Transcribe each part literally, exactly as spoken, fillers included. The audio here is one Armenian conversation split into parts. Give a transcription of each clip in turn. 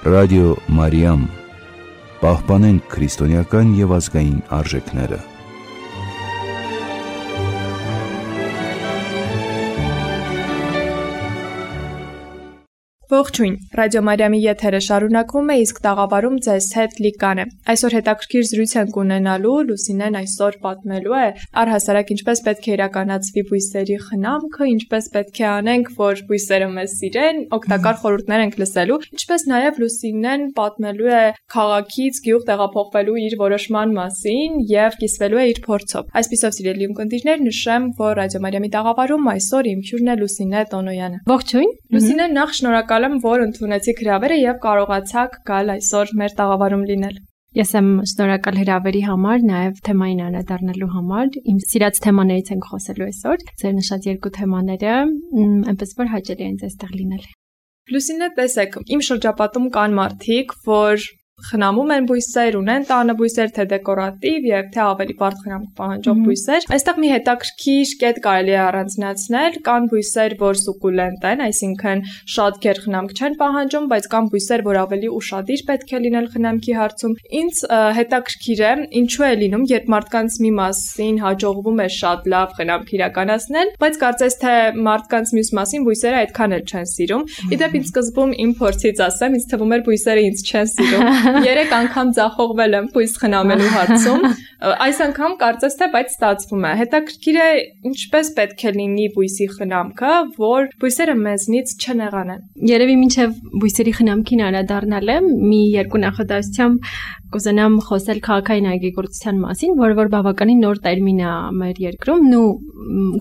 Ռադիո Մարիամ, պահպանենք քրիստոնեական և ազգային արժեքները։ Ողջույն, Ռադիո Մարիամի եթերը շարունակվում է, իսկ տաղավարում ձեզ հետ Լիկան է։ Այսօր հետաքրքիր զրույց ենք ունենալու, Լուսինեն այսօր պատմելու է առհասարակ ինչպես պետք է իրականացվի բույսերի խնամքը, ինչպես պետք է անենք, որ բույսերը մեզ սիրեն, օգտակար խորհուրդներ ենք լսելու, ինչպես նաև Լուսինեն պատմելու է քաղաքից գյուղ տեղափոխվելու իր որոշման մասին եւ կիսվելու է իր փորձով։ Այսպիսով, սիրելի ունկնդիրներ, նշեմ, որ Ռադիո Մարիամի տաղավարում այսօր իմ հյուրն է Լուսինե Տոնոյանը։ Ողջույն։ Լուսինե, նախ շնորհակալ եմ, որ ընդունեցիք հրավերը եւ կարողացաք գալ այսօր մեր տաղավարում լինել։ Ես եմ շնորհակալ հրավերի համար, նաև թեմային անդրադառնալու համար։ Իմ սիրած թեմաներից ենք խոսելու այսօր։ Ձեր նշած երկու թեմաները, այնպես որ հաճելի է այստեղ լինել։ Լուսինե, տեսեք, իմ շրջապատում կան մարդիկ, որ խնամում են բույսեր, ունեն տանը բույսեր, թե դեկորատիվ եւ թե ավելի բարդ խնամք պահանջող բույսեր։ Այստեղ մի հետաքրքիր կետ կարելի է առանձնացնել, կան բույսեր, որ սուկուլենտ են, այսինքն շատ գեր խնամք չեն պահանջում, բայց կան բույսեր, որ ավելի ուշադիր պետք է լինել խնամքի հարցում։ Ինձ հետաքրքիր է, ինչու է լինում, երբ մարդկանց մի մասին հաջողվում է շատ լավ խնամք իրականացնել, բայց կարծես թե մարդկանց մյուս մասին բույսերը այդքան էլ չեն սիրում։ Իդեպ ինձ սկզբում իմ փորձից ասեմ, ինձ թվում էր բույսերը ինձ չեն սիրում։ Երեք անգամ ձախողվել եմ բույս խնամելու հարցում։ Այս անգամ կարծես թե բայց ստացվում է։ Հետաքրքիր է ինչպես պետք է լինի բույսի խնամքը, որ բույսերը մեզնից չնեղանան։ Երևի մինչև բույսերի խնամքին անդրադառնալը մի երկու նախադասությամբ կուզենամ խոսել քաղաքային այգեգործության մասին, որը որ բավականին նոր տերմին է մեր երկրում, ու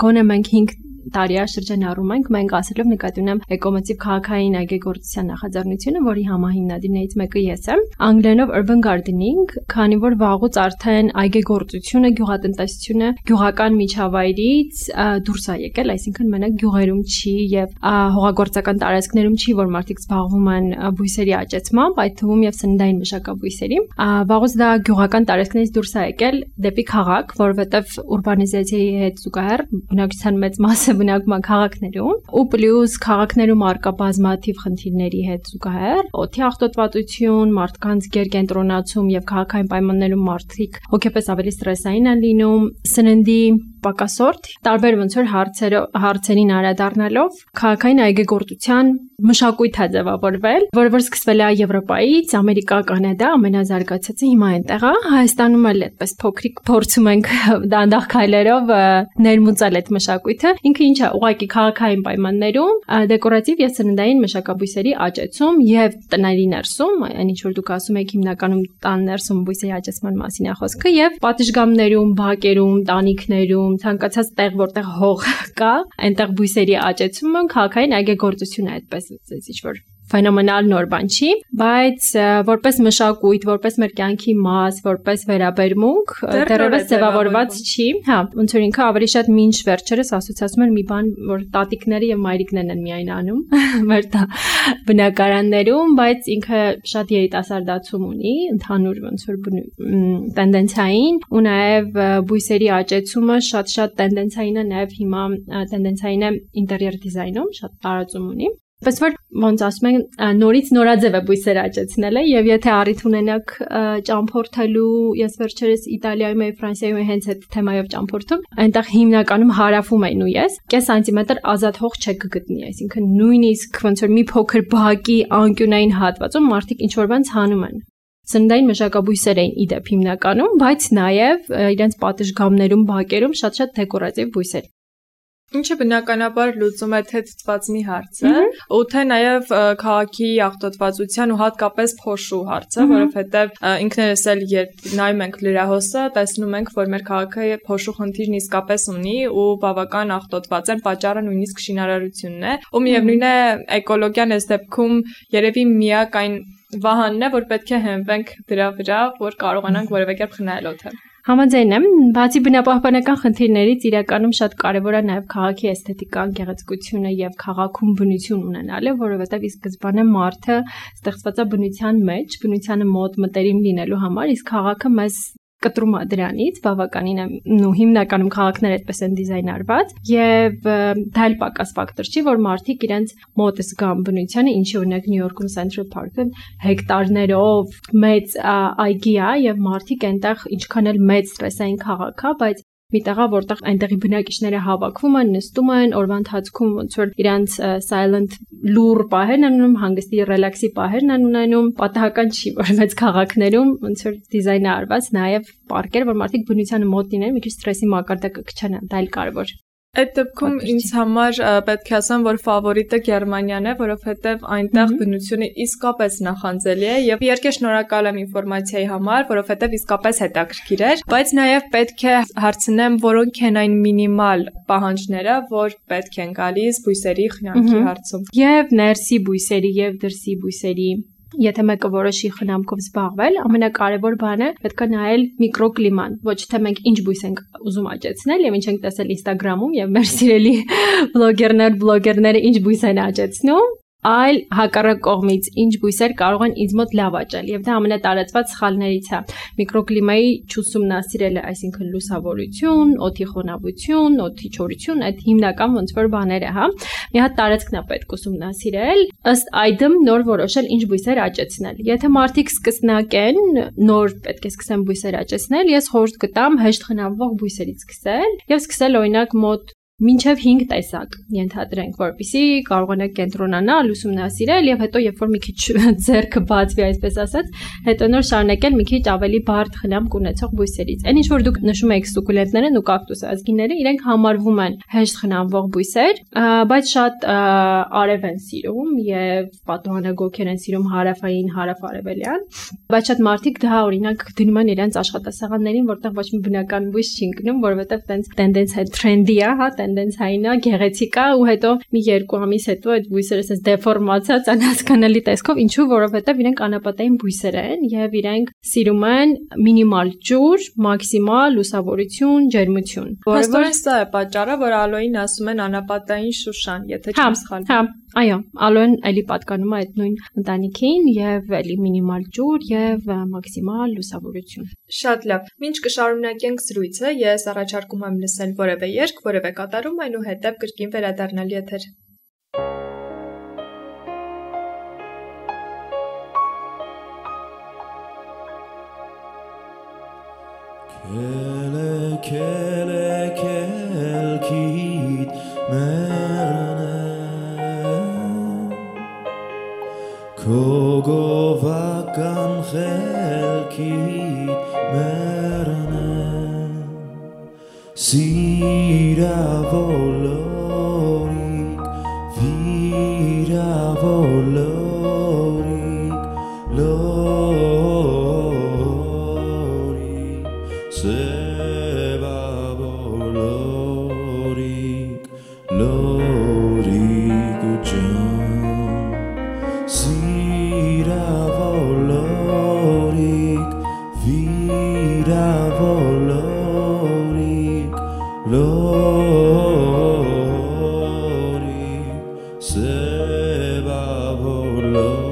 գոնե մենք հինգ տարի շրջանառում ենք, մենք ասելով նկատի ունեմ էկոմոտիվ քաղաքային այգեգործության նախաձեռնությունը, որի համահիմնադիրներից մեկը ես եմ, անգլերենով urban gardening, քանի որ վաղուց արդեն այգեգործությունը, գյուղատնտեսությունը գյուղական միջավայրից դուրս է եկել, այսինքն մենակ գյուղերում չի եւ հողագործական տարածքներում չի, որ մարդիկ զբաղվում են բույսերի աճեցմամբ, այդ թվում եւ սննդային մշակաբույսերի, վաղուց դա գյուղական տարածքներից դուրս է եկել դեպի քաղաք, որովհետեւ ուրբանիզացիայի հետ զուգահեռ բնակչության մեծ մասը բնակվում է քաղաքներում ու պլյուս քաղաքներում արկա բազմաթիվ խնդիրների հետ զուգահեռ օդի աղտոտվածություն, մարդկանց գերկենտրոնացում եւ քաղաքային պայմաններում մարդիկ հոգեպես ավելի ստրեսային են լինում, սննդի պակասորդ, տարբեր ոնց որ հարցերով հարցերին անդրադառնալով քաղաքային այգեգործության մշակույթ է ձևավորվել, որը որ սկսվել է Եվրոպայից, Ամերիկա, Կանադա, ամենազարգացածը հիմա այնտեղ է, Հայաստանում էլ այդպես փոքրիկ փորձում ենք դանդաղ քայլերով ներմուծել այդ մշակույթը, ինքը ինչ է, ուղղակի քաղաքային պայմաններում դեկորատիվ եւ սննդային մշակաբույսերի աճեցում եւ տների ներսում, այն ինչ որ դուք ասում եք հիմնականում տան ներսում բույսերի աճեցման մասին է խոսքը եւ պատշգամբներում, բակերում, տանիքներում ցանկացած տեղ, որտեղ հող կա, այնտեղ բույսերի աճեցումը քաղաքային այգեգործություն է, այդպես ինչ-որ ֆենոմենալ նոր բան չի, բայց որպես մշակույթ, որպես մեր կյանքի մաս, որպես վերաբերմունք դեռևս ձևավորված չի, հա, ոնց որ ինքը ավելի շատ մինչ վերջերս ասոցիացում էր մի բան, որ տատիկները եւ մայրիկներն են միայն անում մեր բնակարաններում, բայց ինքը շատ երիտասարդացում ունի, ընդհանուր ոնց որ տենդենցիային ու նաեւ բույսերի աճեցումը շատ-շատ տենդենցիային է, նաեւ հիմա տենդենցիային է ինտերիեր դիզայնում, շատ տարածում ունի։ Պես որ ոնց ասում են նորից նորաձև է բույսեր աճեցնելը եւ եթե առիթ ունենաք ճամփորդելու, ես վերջերս Իտալիայում եւ Ֆրանսիայում հենց այդ թեմայով ճամփորդում, այնտեղ հիմնականում հարավում են ու ես կես սանտիմետր ազատ հող չեք գտնի, այսինքն նույնիսկ ոնց որ մի փոքր բակի անկյունային հատվածում մարդիկ ինչ որ բան ցանում են։ Սննդային մշակաբույսեր էին իդեպ հիմնականում, բայց նաեւ իրենց պատշգամբներում, բակերում շատ-շատ դեկորատիվ բույսեր։ Ինչը բնականաբար լուծում է թե թթվածնի հարցը, ու թե նաև քաղաքի աղտոտվածության ու հատկապես փոշու հարցը, որովհետև ինքներս էլ երբ նայում ենք լրահոսը, տեսնում ենք, որ մեր քաղաքը փոշու խնդիրն իսկապես ունի ու բավական աղտոտված են, պատճառը նույնիսկ շինարարությունն է, ու միևնույն է էկոլոգիան այս դեպքում երևի միակ այն վահանն է, որ պետք է հենվենք դրա վրա, որ կարողանանք որևէ կերպ խնայել օդը։ Համաձայն եմ, բացի բնապահպանական խնդիրներից իրականում շատ կարևոր է նաև քաղաքի էսթետիկան, գեղեցկությունը եւ քաղաքում բնություն ունենալը, որովհետեւ ի սկզբանե մարդը ստեղծված է բնության մեջ, բնությանը մոտ մտերիմ լինելու համար, իսկ քաղաքը մեզ կտրում է դրանից, բավականին է, ու հիմնականում քաղաքները այդպես են դիզայնարված, եւ դա էլ պակաս ֆակտոր չի, որ մարդիկ իրենց մոտ զգան բնությանը, ինչի օրինակ Նյու Յորքում Central Park-ը հեկտարներով մեծ այգի է եւ մարդիկ այնտեղ ինչքան էլ մեծ ստրեսային քաղաք է, բայց մի տեղա, որտեղ այնտեղի բնակիչները հավաքվում են, նստում են, օրվա ընթացքում ոնց որ իրանց silent լուր պահերն են ունենում, հանգստի ռելաքսի պահերն են ունենում, պատահական չի, որ մեծ քաղաքներում ոնց որ դիզայնը արված նաև պարկեր, որ մարդիկ բնությանը մոտ լինեն, մի քիչ ստրեսի մակարդակը կչանան, դա էլ կարևոր։ Այդ դեպքում ինձ համար պետք է ասեմ, որ ֆավորիտը Գերմանիան է, որովհետև այնտեղ բնությունը իսկապես նախանձելի է եւ իհարկե շնորհակալ եմ ինֆորմացիայի համար, որովհետև իսկապես հետաքրքիր էր, բայց նաեւ պետք է հարցնեմ, որոնք են այն մինիմալ պահանջները, որ պետք են գալիս բույսերի խնամքի հարցում։ Եվ ներսի բույսերի եւ դրսի բույսերի Եթե մեկը որոշի խնամքով զբաղվել, ամենակարևոր բանը պետք է նայել միկրոկլիման, ոչ թե մենք ինչ բույս ենք ուզում աճեցնել եւ ինչ ենք տեսել Instagram-ում եւ մեր սիրելի բլոգերներ, բլոգերները ինչ բույս են աճեցնում, այլ հակառակ կողմից ինչ բույսեր կարող են ինձ մոտ լավ աճել եւ դա ամենատարածված սխալներից է միկրոկլիմայի չուսումնասիրելը, այսինքն լուսավորություն, օդի խոնավություն, օդի չորություն, այդ հիմնական ոնց որ բաները, հա։ Մի հատ տարածքն է պետք ուսումնասիրել, ըստ այդմ նոր որոշել ինչ բույսեր աճեցնել։ Եթե մարդիկ սկսնակ են, նոր պետք է սկսեն բույսեր աճեցնել, ես խորհուրդ կտամ հեշտ խնամվող բույսերից սկսել եւ սկսել օրինակ մոտ մինչև հինգ տեսակ ենթադրենք, որպեսզի կարողանաք կենտրոնանալ, ուսումնասիրել եւ հետո երբ որ մի քիչ ձեռքը բացվի, այսպես ասած, հետո նոր շարունակել մի քիչ ավելի բարդ խնամք ունեցող բույսերից։ Այն ինչ որ դուք նշում եք սուկուլենտներն ու կակտուս ազգիները, իրենք համարվում են հեշտ խնամվող բույսեր, բայց շատ արև են սիրում եւ պատուհանագոգեր են սիրում հարավային, հարավարևելյան, բայց շատ մարդիկ դա օրինակ դնում են իրենց աշխատասեղաններին, որտեղ ոչ մի բնական բույս չի ընկնում, որովհետեւ տենց տենդենս է, թրենդի է, հա, տենդենսային է, գեղեցիկ է ու հետո մի երկու ամիս հետո այդ բույսերը ասես դեֆորմացած անհասկանալի տեսքով, ինչու, որովհետև իրենք անապատային բույսեր են եւ իրենք սիրում են մինիմալ ջուր, մաքսիմալ լուսավորություն, ջերմություն։ Որովհետև սա է պատճառը, որ ալոյին ասում են անապատային շուշան, եթե չեմ սխալվում։ Հա, այո, ալոյն էլի պատկանում է այդ նույն ընտանիքին եւ էլի մինիմալ ջուր եւ մաքսիմալ լուսավորություն։ Շատ լավ։ Մինչ կշարունակենք զրույցը, ես առաջարկում եմ լսել որևէ երգ, որևէ կատարում, այնուհետև կրկին վերադառնալ եթեր։ Kele kele kelkit merne Kogovakan chelkit merne Sira volorik, vira volorik, lorik, seba volorik, lorik ujan. Sira volorik, vira volorik, lorik, seba volorik,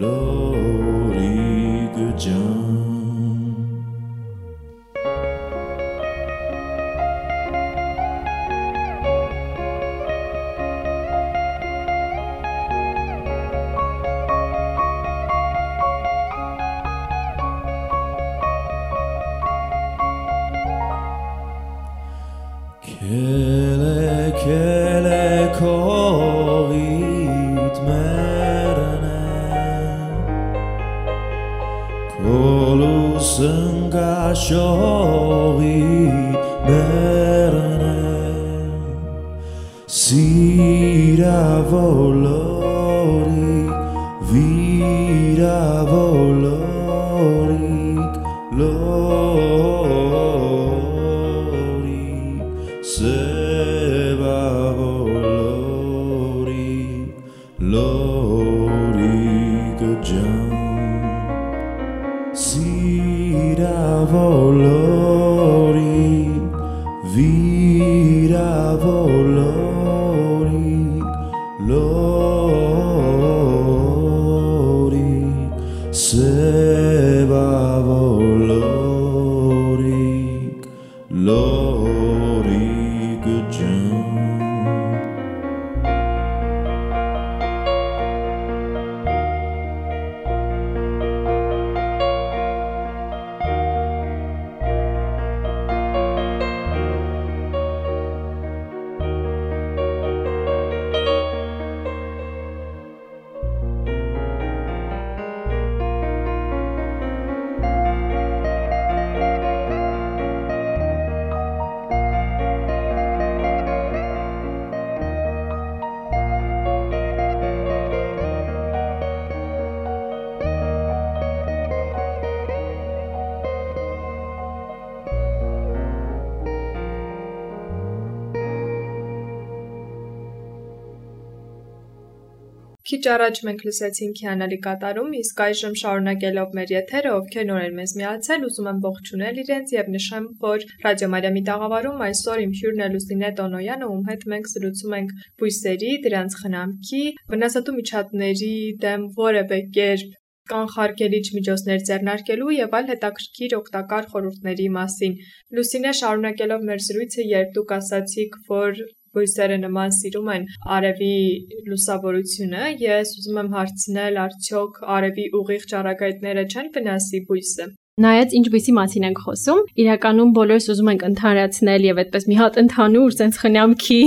lorik ujan. Kele kele kovit merne Kolusın gaşovit merne Sira volorik, vira volorik, lorik, seba volorik, lorik jan. Sira volorik, vira volorik, lorik, seba volorik. ջան Քիչ առաջ մենք լսեցինք հիանալի կատարում, իսկ այժմ շարունակելով մեր եթերը, ովքեր նոր են մեզ միացել, ուզում եմ ողջունել իրենց եւ նշեմ, որ Ռադիո Մարիամի տաղավարում այսօր իմ հյուրն է Լուսինե Տոնոյանը, ում հետ մենք զրուցում ենք բույսերի, դրանց խնամքի, վնասատու միջատների դեմ որևէ կերպ կանխարգելիչ միջոցներ ձեռնարկելու եւ այլ հետաքրքիր օգտակար խորհուրդների մասին։ Լուսինե, շարունակելով մեր զրույցը, երբ դուք ասացիք, որ բույսերը նման սիրում են արևի լուսավորությունը, ես ուզում եմ հարցնել, արդյոք արևի ուղիղ ճառագայթները չեն վնասի բույսը։ Նայած ինչ բույսի մասին ենք խոսում, իրականում բոլորս ուզում ենք ընդհանրացնել եւ այդպես մի հատ ընդհանուր sense խնամքի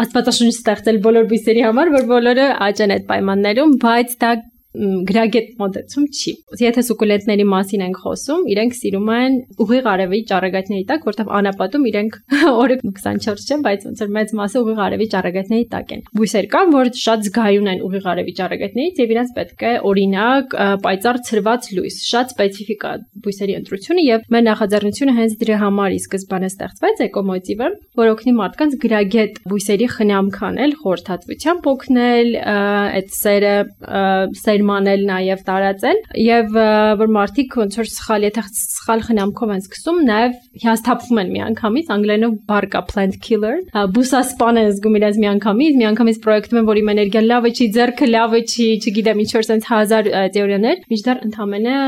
աստվածաշունչ ստեղծել բոլոր բույսերի համար, որ բոլորը աճեն այդ պայմաններում, բայց դա գրագետ մոտեցում չի։ Եթե սուկուլենտների մասին ենք խոսում, իրենք սիրում են ուղիղ արևի ճառագայթների տակ, որտեղ անապատում իրենք օրը քսանչորս չէ, բայց ոնց որ մեծ մասը ուղիղ արևի ճառագայթների տակ են։ Բույսեր կան, որ շատ զգայուն են ուղիղ արևի ճառագայթներից եւ իրենց պետք է օրինակ պայծառ ցրված լույս, շատ սպეციფიկ է բույսերի ընտրությունը եւ մեր նախաձեռնությունը հենց դրա համար ի սկզբանե ստեղծվեց էկոմոտիվը, որ օգնի մարդկանց գրագետ բույսերի խնամք անել, խորհրդատվությամբ օգնել, այդ սերը սեր մանել նաև տարածել եւ որ մարդիկ ոնց որ սխալ եթե սխալ խնամքով են սկսում նաև հիասթափվում են միանգամից անգլերենով բառ կա plant killer բուսասպան են զգում իրենց միանգամից միանգամից պրոյեկտում են որ իմ էներգիան լավը չի ձեռքը լավը չի չգիտեմ ինչ որ sense հազար թեորիաներ միջդեռ ընդամենը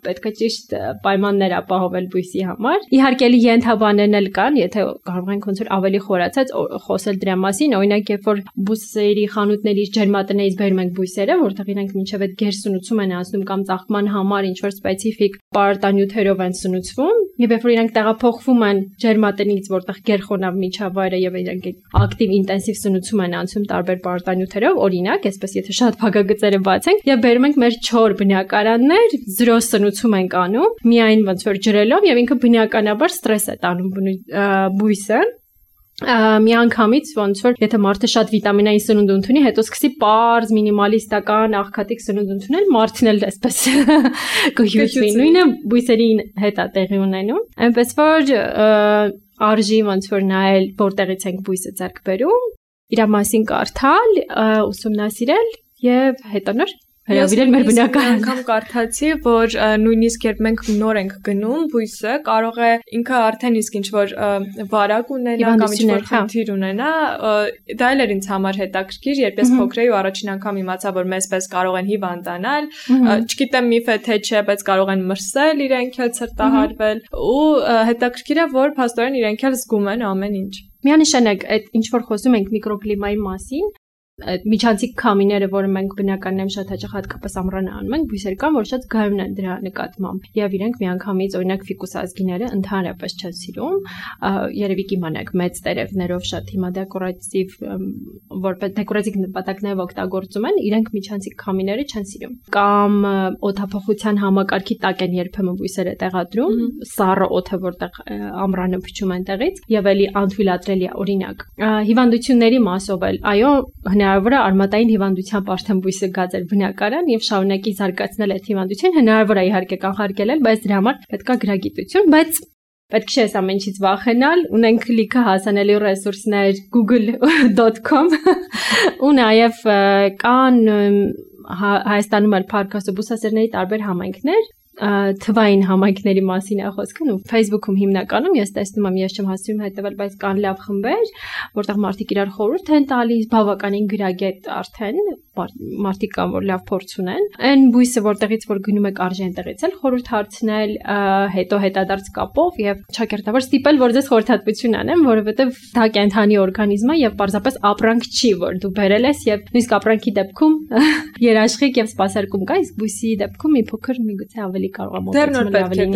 պետք է ճիշտ պայմաններ ապահովել բույսի համար։ Իհարկե ենթաբաներն էլ կան, եթե կարող ենք ոնց որ ավելի խորացած խոսել դրա մասին, օրինակ երբ որ բույսերի խանութներից ջերմատներից բերում ենք բույսերը, որտեղ իրենք մինչև այդ գերսնուցում են անցնում կամ ծաղկման համար ինչ որ սպეციფიկ պարտանյութերով են սնուցվում, եւ երբ որ իրենք տեղափոխվում են ջերմատնից, որտեղ գերխոնավ միջավայրը եւ իրենք ակտիվ ինտենսիվ սնուցում են անցնում տարբեր պարտանյութերով, օրինակ, այսպես եթե շատ փակագծերը բացենք եւ բերում ենք մեր չոր բնակարաններ, զրո սնուցում ենք անում, միայն ոնց որ ջրելով եւ ինքը բնականաբար ստրես է տանում բույսը։ Միանգամից ոնց որ եթե մարդը շատ վիտամինային սնունդ ընդունի, հետո սկսի պարզ մինիմալիստական աղքատիկ սնունդ ընդունել, մարդն էլ այսպես կհյուծվի։ Նույնը բույսերի հետ է տեղի ունենում։ Այնպես որ արժի ոնց որ նայել որտեղից ենք բույսը ձեռք բերում, իր մասին կարդալ, ուսումնասիրել եւ հետո նոր հրավիրել մեր բնական անգամ կարդացի, որ նույնիսկ երբ մենք նոր ենք գնում բույսը, կարող է ինքը արդեն իսկ ինչ որ վարակ ունենա կամ ինչ որ խնդիր ունենա, դա էլ էր ինձ համար հետաքրքիր, երբ ես փոքր էի ու առաջին անգամ իմացա, որ մեզպես կարող են հիվանդանալ, չգիտեմ միֆ է թե չէ, բայց կարող են մրսել, իրենք էլ ցրտահարվել, ու հետաքրքիր է, որ փաստորեն իրենք էլ զգում են ամեն ինչ։ Միանշանակ այդ ինչ որ խոսում ենք միկրոկլիմայի մասին, միջանցիկ քամիները, որը մենք բնականորեն շատ հաճախ հատկապես ամռանը անում ենք, բույսեր կան, որ շատ զգայուն են դրա նկատմամբ։ Եվ իրենք միանգամից օրինակ ֆիկուս ազգիները ընդհանրապես չեն սիրում, երևի կիմանաք մեծ տերևներով շատ հիմա դեկորատիվ որպես դեկորատիվ նպատակներով օգտագործում են, իրենք միջանցիկ քամիները չեն սիրում։ Կամ օդափոխության համակարգի տակ են երբեմն բույսերը տեղադրում, սառը օդը, որտեղ ամռանը փչում են տեղից, եւ էլի անթույլատրելի է, օրինակ։ Հիվանդությունների մասով էլ, այո, հնարավոր է արմատային հիվանդությամբ արդեն բույսը գած էր բնակարան եւ շարունակի զարգացնել այդ հիվանդությունը, հնարավոր է իհարկե կանխարգելել, բայց դրա համար պետք է գրագիտություն, բայց պետք չէ այս ամեն ինչից վախենալ, ունենք լիքը հասանելի ռեսուրսներ google dot com ու նաեւ կան Հայաստանում էլ Փարքասու բուսասերների տարբեր համայնքներ, թվային համայնքների մասին է խոսքը, ու Facebook-ում հիմնականում ես տեսնում եմ, ես չեմ հասցնում հետևել, բայց կան լավ խմբեր, որտեղ մարդիկ իրար խորհուրդ են տալիս, բավականին գրագետ արդեն, մարդիկ կան, որ լավ փորձ ունեն։ Այն բույսը, որտեղից որ գնում եք արժե այնտեղից էլ խորհուրդ հարցնել, հետո հետադարձ կապով եւ ճակերտավոր ստիպել, որ ձեզ խորհրդատվություն անեն, որովհետեւ դա կենթանի օրգանիզմ է եւ պարզապես ապրանք չի, որ դու բերել ես եւ նույնիսկ ապրանքի դեպքում երաշխիք եւ սպասարկում կա, իսկ բույսի դեպքում մի փոքր միգուցե ավելի կարող է մոտեցնել ավելի։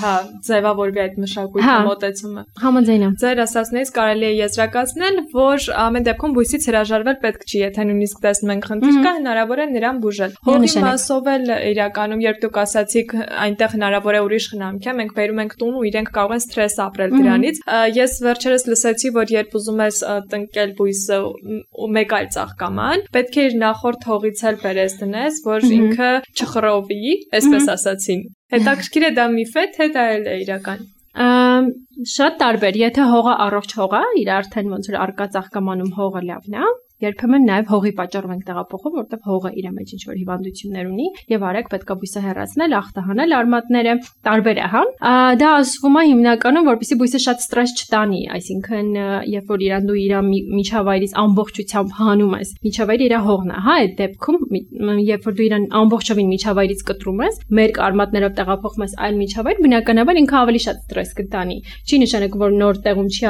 Հա, ձևավորվի այդ մշակույթի մոտեցումը։ Համաձայն եմ։ Ձեր ասածներից կարելի է եզրակացնել, որ ամեն դեպքում բույսից հրաժարվել պետք չի, եթե նույնիսկ տեսնում ենք խնդիր կա, հնարավոր է նրան բուժել։ Հողի մասով էլ իրականում, երբ դուք ասացիք, այնտեղ հնարավոր է ուրիշ խնամք է, մենք բերում ենք տուն ու իրենք կարող են սթրես ապրել դրանից։ Ես վերջերս լսեցի, որ երբ ուզում ես տնկել բույսը ու մեկ այլ ծաղկաման, պետք է իր նախորդ հողից էլ բերես դնես, որ ինքը չխռովի, այսպես ասացին։ Հետաքրքիր է դա միֆ է, թե դա էլ է իրական։ Շատ տարբեր, եթե հողը առողջ հող է, իր արդեն ոնց որ արկա ծաղկամանում հողը լավն է, երբեմն նաև հողի պատճառով ենք տեղափոխում, որտեղ հողը իր մեջ ինչ-որ հիվանդություններ ունի եւ արագ պետքա բույսը հեռացնել, ախտահանել արմատները, տարբեր է, հա։ Դա ասվում է հիմնականում, որպեսզի բույսը շատ ստրես չտանի, այսինքն երբ որ իրան դու իր միջավայրից ամբողջությամբ հանում ես, միջավայրը իր հողն է, հա, այդ դեպքում երբ որ դու իրան ամբողջովին միջավայրից կտրում ես, մեր արմատներով տեղափոխում ես այլ միջավայր, բնականաբար ինքը ավելի շատ ստրես կտանի։ Չի նշանակում, որ նոր տեղում չի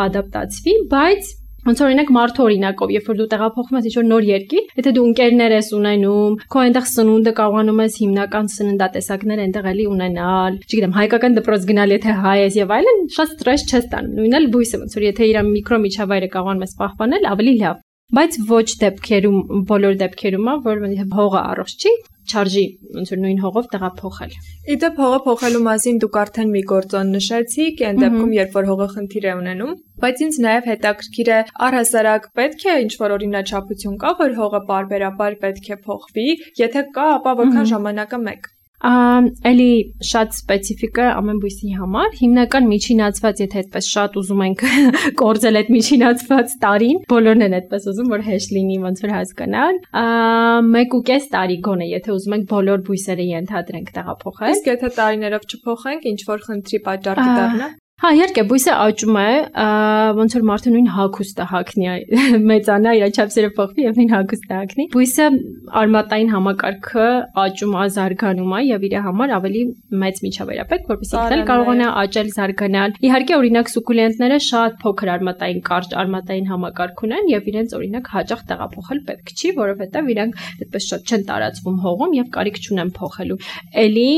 ադապտացվի, բայց ոնց օրինակ մարդու օրինակով, երբ որ դու տեղափոխվում ես ինչ-որ նոր երկիր, եթե դու ընկերներ ես ունենում, քո այնտեղ սնունդը կարողանում ես հիմնական սննդատեսակներ այնտեղ էլի ունենալ, չգիտեմ, հայկական դպրոց գնալ, եթե հայ ես եւ այլն, շատ ստրես չես տանում։ Նույնն էլ բույսը, ոնց որ եթե իր միկրոմիջավայրը կարողանում ես պահպանել, ավելի լավ։ Բայց ոչ դեպքերում, բոլոր դեպքերում է, որ հողը առողջ չի, չարժի ոնց որ նույն հողով տեղափոխել։ Իդեպ հողը փոխելու մասին դուք արդեն մի գործոն նշեցիք, այն դեպքում երբ որ հողը խնդիր է ունենում, բայց ինձ նաև հետաքրքիր է առհասարակ պետք է ինչ-որ օրինաչափություն կա, որ հողը պարբերաբար պետք է փոխվի, եթե կա, ապա որքան ժամանակը մեկ։ Էլի շատ սպეციფიկ է ամեն բույսի համար, հիմնական միջինացված, եթե այդպես շատ ուզում ենք կորցել այդ միջինացված տարին, բոլորն են այդպես ուզում, որ հեշտ լինի ոնց որ հասկանալ, մեկ ու կես տարի գոնե, եթե ուզում ենք բոլոր բույսերը ենթադրենք տեղափոխել։ Իսկ եթե տարիներով չփոխենք, ինչ որ խնդրի պատճառ կդառնա։ Հա, իհարկե, բույսը աճում է, ոնց որ մարդը նույն հագուստը հագնի, մեծանա, իր չափսերը փոխվի եւ նույն հագուստը հագնի։ Բույսը արմատային համակարգը աճում է, զարգանում է եւ իր համար ավելի մեծ միջավայր է պետք, որպեսզի ինքն էլ կարողանա աճել, զարգանալ։ Իհարկե, օրինակ սուկուլենտները շատ փոքր արմատային կարճ արմատային համակարգ ունեն եւ իրենց օրինակ հաճախ տեղափոխել պետք չի, որովհետեւ իրանք այդպես շատ չեն տարածվում հողում եւ կարիք չունեն փոխելու։ Էլի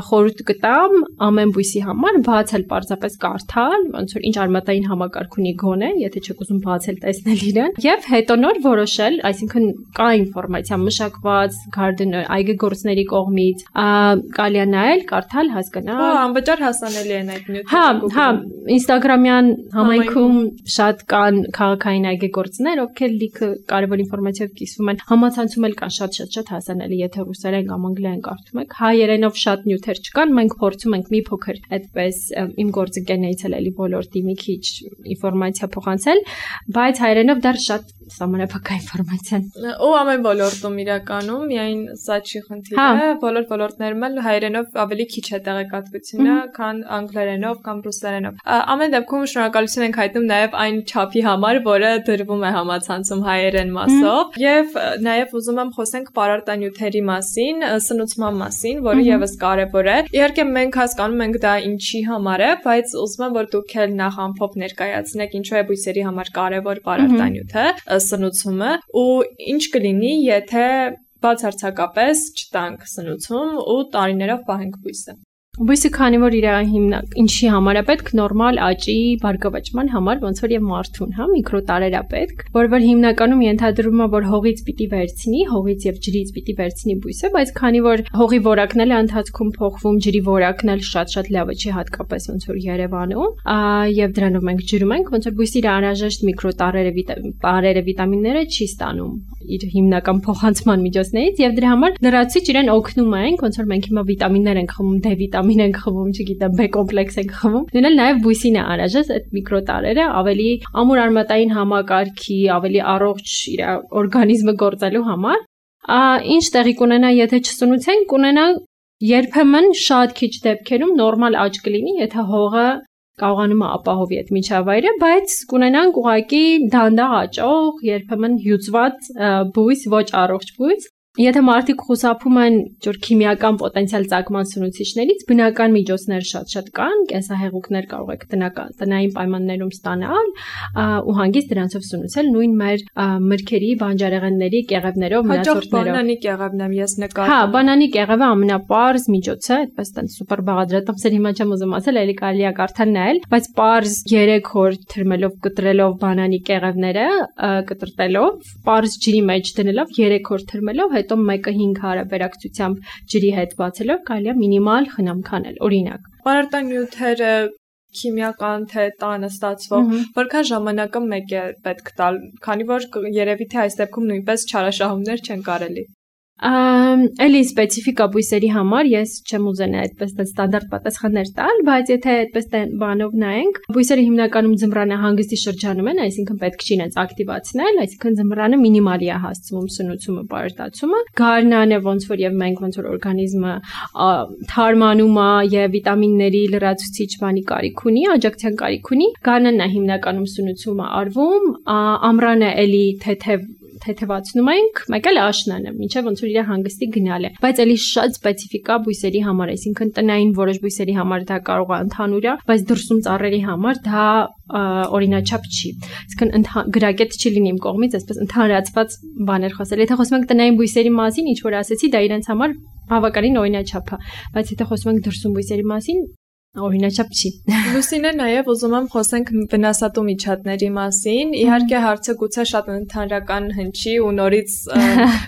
խորհուրդ կտամ ամեն բույսի համար բացել պարզապես կարդալ, ոնց որ ինչ արմատային համակարգ ունի գոնե, եթե չեք ուզում բացել տեսնել իրեն, եւ հետո նոր որոշել, այսինքն կա ինֆորմացիա մշակված gardener այգեգործների կողմից, կարելի է նայել, կարդալ, հասկանալ։ Հա, անվճար հասանելի են այդ նյութերը։ Հա, հա, Instagram-յան համայնքում շատ կան քաղաքային այգեգործներ, ովքեր լիքը կարևոր ինֆորմացիայով կիսվում են, համացանցում էլ կան շատ-շատ շատ հասանելի, եթե ռուսերեն կամ անգլերեն կարդում եք, հայերենով շատ նյութեր չկան, մենք փորձում ենք մի փոքր այդպես իմ գործը նայեցել էլի ոլորտի մի քիչ ինֆորմացիա փոխանցել, բայց հայերենով դեռ շատ սահմանափակ ինֆորմացիա։ Ու ամեն ոլորտում իրականում միայն սա չի խնդիրը, բոլոր ոլորտներում էլ հայերենով ավելի քիչ է տեղեկատվությունը, քան անգլերենով կամ ռուսերենով։ Ամեն դեպքում շնորհակալություն ենք հայտնում նաև այն չափի համար, որը դրվում է համացանցում հայերեն մասով, եւ նաև ուզում եմ խոսենք պարարտանյութերի մասին, սնուցման մասին, որը եւս կարեւոր է։ Իհարկե մենք հասկանում ենք դա ինչի համար է, բայց ուզում եմ որ դուք էլ նախ ամփոփ ներկայացնեք ինչու է բույսերի համար կարևոր պարարտանյութը, սնուցումը ու ինչ կլինի, եթե բացարձակապես չտանք սնուցում ու տարիներով պահենք բույսը։ Բույսը քանի որ իր հիմնակ ինչի համար է պետք նորմալ աճի բարգավաճման համար ոնց որ եւ մարդուն, հա, միկրոտարեր է պետք, որ որ հիմնականում ենթադրվում է որ հողից պիտի վերցնի, հողից եւ ջրից պիտի վերցնի բույսը, բայց քանի որ հողի որակն էլ ընթացքում փոխվում, ջրի որակն էլ շատ-շատ լավը չի հատկապես ոնց որ Երևանում, եւ դրանով մենք ջրում ենք, ոնց որ բույսի իր անհրաժեշտ միկրոտարերը, տարերը, վիտամինները չի ստանում իր հիմնական փոխանցման միջոցներից եւ դրա համար լրացիչ իրեն օգնում ենք, ոնց որ մենք հիմա վիտամիններ ենք խմում, D վիտամին ենք խմում, չգիտեմ, B կոմպլեքս ենք խմում։ Դրանալ նաև բույսին է անհրաժեշտ այդ միկրոտարերը ավելի ամուր արմատային համակարգի, ավելի առողջ իր օրգանիզմը գործելու համար։ Ինչ տեղի կունենա, եթե չսնուցենք, կունենա երբեմն շատ քիչ դեպքերում նորմալ աճ կլինի, եթե հողը կարողանում է ապահովի այդ միջավայրը, բայց կունենանք ուղղակի դանդաղ աճող, երբեմն հյուծված բույս, ոչ առողջ բույս։ Եթե մարդիկ խուսափում են ջուր քիմիական պոտենցիալ ծագման սնուցիչներից, բնական միջոցներ շատ-շատ կան, կենսահեղուկներ կարող եք տնական տնային պայմաններում ստանալ ու հանգիստ դրանցով սնուցել նույն մեր մրգերի, բանջարեղենների, կեղևներով, մնացորդներով։ Հաջող բանանի կեղևն եմ ես նկատում։ Հա, բանանի կեղևը ամենապարզ միջոց է, այդպես տենց սուպեր բաղադրատոմսեր հիմա չեմ ուզում ասել, էլի կարելի է կարդալ նայել, բայց պարզ երեք օր թրմելով, կտրելով բանանի կեղևները, կտրտելով, պարզ ջրի մեջ դնելով երեք օր թրմելով, հետո մեկը հինգ հարաբերակցությամբ ջրի հետ բացելով կարելի է մինիմալ խնամք անել, օրինակ։ Պարարտան նյութերը քիմիական թե տանը ստացվող, որքան ժամանակը մեկ է պետք տալ, քանի որ երևի թե այս դեպքում նույնպես չարաշահումներ չեն կարելի։ Էլի սպეციფიკա բույսերի համար ես չեմ ուզենա այդպես ստանդարտ պատասխաններ տալ, բայց եթե այդպես բանով նայենք, բույսերը հիմնականում ձմռանը հանգստի շրջանում են, այսինքն պետք չի իրենց ակտիվացնել, այսինքն ձմռանը մինիմալի է հասցվում սնուցումը, պարարտացումը, գարնանը ոնց որ եւ մենք ոնց որ օրգանիզմը թարմանում է եւ վիտամինների լրացուցիչ բանի կարիք ունի, աջակցության կարիք ունի, գարնանն է հիմնականում սնուցումը արվում, ամռանը էլի թեթև թեթևացնում ենք, մեկ էլ աշնանը, մինչև ոնց որ իր հանգստի գնալ է։ Բայց էլի շատ սպეციფიკա բույսերի համար, այսինքն տնային որոշ բույսերի համար դա կարող է ընդհանուր է, բայց դրսում ծառերի համար դա օրինաչափ չի։ Այսինքն գրագետ չի լինի իմ կողմից, այսպես ընդհանրացված բաներ խոսել։ Եթե խոսում ենք տնային բույսերի մասին, ինչ որ ասեցի, դա իրենց համար բավականին օրինաչափ է, բայց եթե խոսում ենք դրսում բույսերի մասին, օրինաչափ չի։ Լուսինե, նաև ուզում եմ խոսենք վնասատու միջատների մասին։ Իհարկե հարցը գուցե շատ ընդհանրական հնչի ու նորից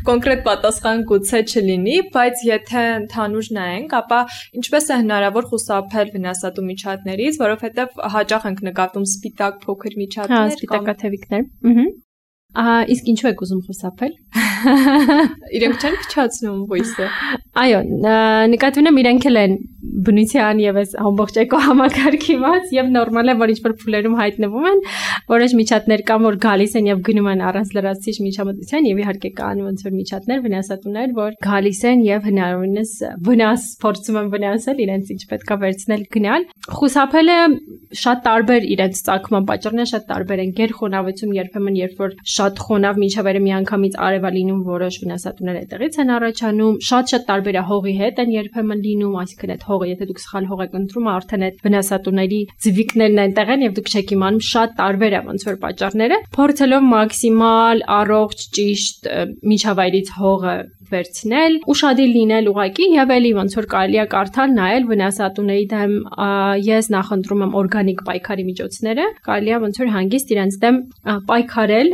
կոնկրետ պատասխան գուցե չլինի, բայց եթե ընդհանուր նայենք, ապա ինչպես է հնարավոր խուսափել վնասատու միջատներից, որովհետև հաճախ ենք նկատում սպիտակ փոքր միջատներ, հա, սպիտակաթևիկներ։ Ահա։ Ահա, իսկ ինչու եք ուզում խուսափել։ Իրենք չեն փչացնում բույսը։ Այո, նկատի ունեմ իրենք էլ են բնության եւ այս ամբողջ էկոհամակարգի մաս եւ նորմալ է որ ինչ-որ փուլերում հայտնվում են, որոշ միջատներ կան որ գալիս են եւ գնում են առանց լրացուցիչ միջամտության եւ իհարկե կան ոնց որ միջատներ, վնասատուներ, որ գալիս են եւ հնարավորինս վնաս փորձում են վնասել իրենց ինչ պետքա վերցնել գնալ։ Խուսափելը շատ տարբեր իրենց ծագման պատճառները շատ տարբեր են։ Գերխոնավություն երբեմն երբ որ շատ խոնավ միջավայրը միանգամից արև է լինում, որոշ վնասատուներ այդտեղից են առաջանում, շատ-շատ տարբեր է հողի հետ են երբեմն լինում, այսինքն այդ հողը, եթե դուք սխալ հող եք ընտրում, արդեն այդ վնասատուների ձվիկներն այնտեղ են եւ դուք չեք իմանում, շատ տարբեր է ոնց որ պատճառները, փորձելով մաքսիմալ առողջ, ճիշտ միջավայրից հողը վերցնել, ուշադիր լինել ուղակի եւ էլի ոնց որ կարելի է կարդալ, նայել վնասատուների դեմ ես նախընտրում եմ օրգանիկ պայքարի միջոցները, կարելի է ոնց որ հանգիստ իրենց դեմ պայքարել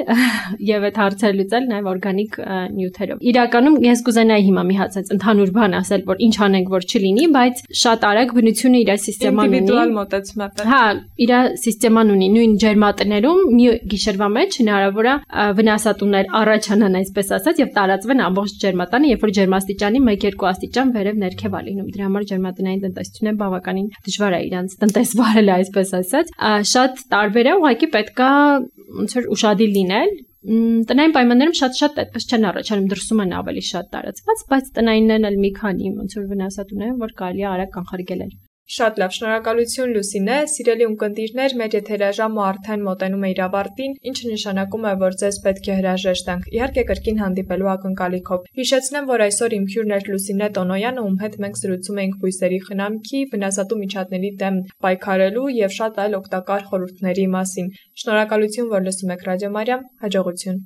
եւ այդ հարցերը լուծել նաեւ օրգանիկ նյութերով։ Իրականում ես կուզենայի հիմա մի հատ ընդհանուր բան ասել, որ ինչ անենք, որ չլինի, բայց շատ արագ բնությունը իր սիստեման ունի։ Ինդիվիդուալ մոտեցում է։ Հա, իր սիստեման ունի, նույն ջերմատներում մի գիշերվա մեջ հնարավոր է վնասատուներ առաջանան, այսպես ասած, եւ տարածվեն ամբողջ ջերմատանը, երբ որ ջերմաստիճանի մեկ երկու աստիճան վերև ներքև է լինում։ Դրա համար ջերմատնային տնտեսությունը բավականին դժվար է իրանց տնտեսվարել, այսպես ասած։ Շատ տարբեր է, ուղղակի պետքա ոնց որ ուշադիր լինել։ Տնային պայմաններում շատ-շատ այդպես չեն առաջանում, դրսում են ավելի շատ տարածված, բայց տնայիններն էլ մի քանի ոնց որ վնասատուներ են, որ կարելի է արագ կանխարգելել։ Շատ լավ, շնորհակալություն Լուսինե, սիրելի ունկնդիրներ, մեր եթերաժամը արդեն մոտենում է իր ավարտին, ինչը նշանակում է, որ ձեզ պետք է հրաժեշտ տանք, իհարկե կրկին հանդիպելու ակնկալիքով։ Հիշեցնեմ, որ այսօր իմ հյուրն էր Լուսինե Տոնոյանը, ում հետ մենք զրուցում էինք բույսերի խնամքի, վնասատու միջատների դեմ պայքարելու եւ շատ այլ օգտակար խորհուրդների մասին։ Շնորհակալություն, որ լսում եք Ռադիո Մարիամ, հաջողություն։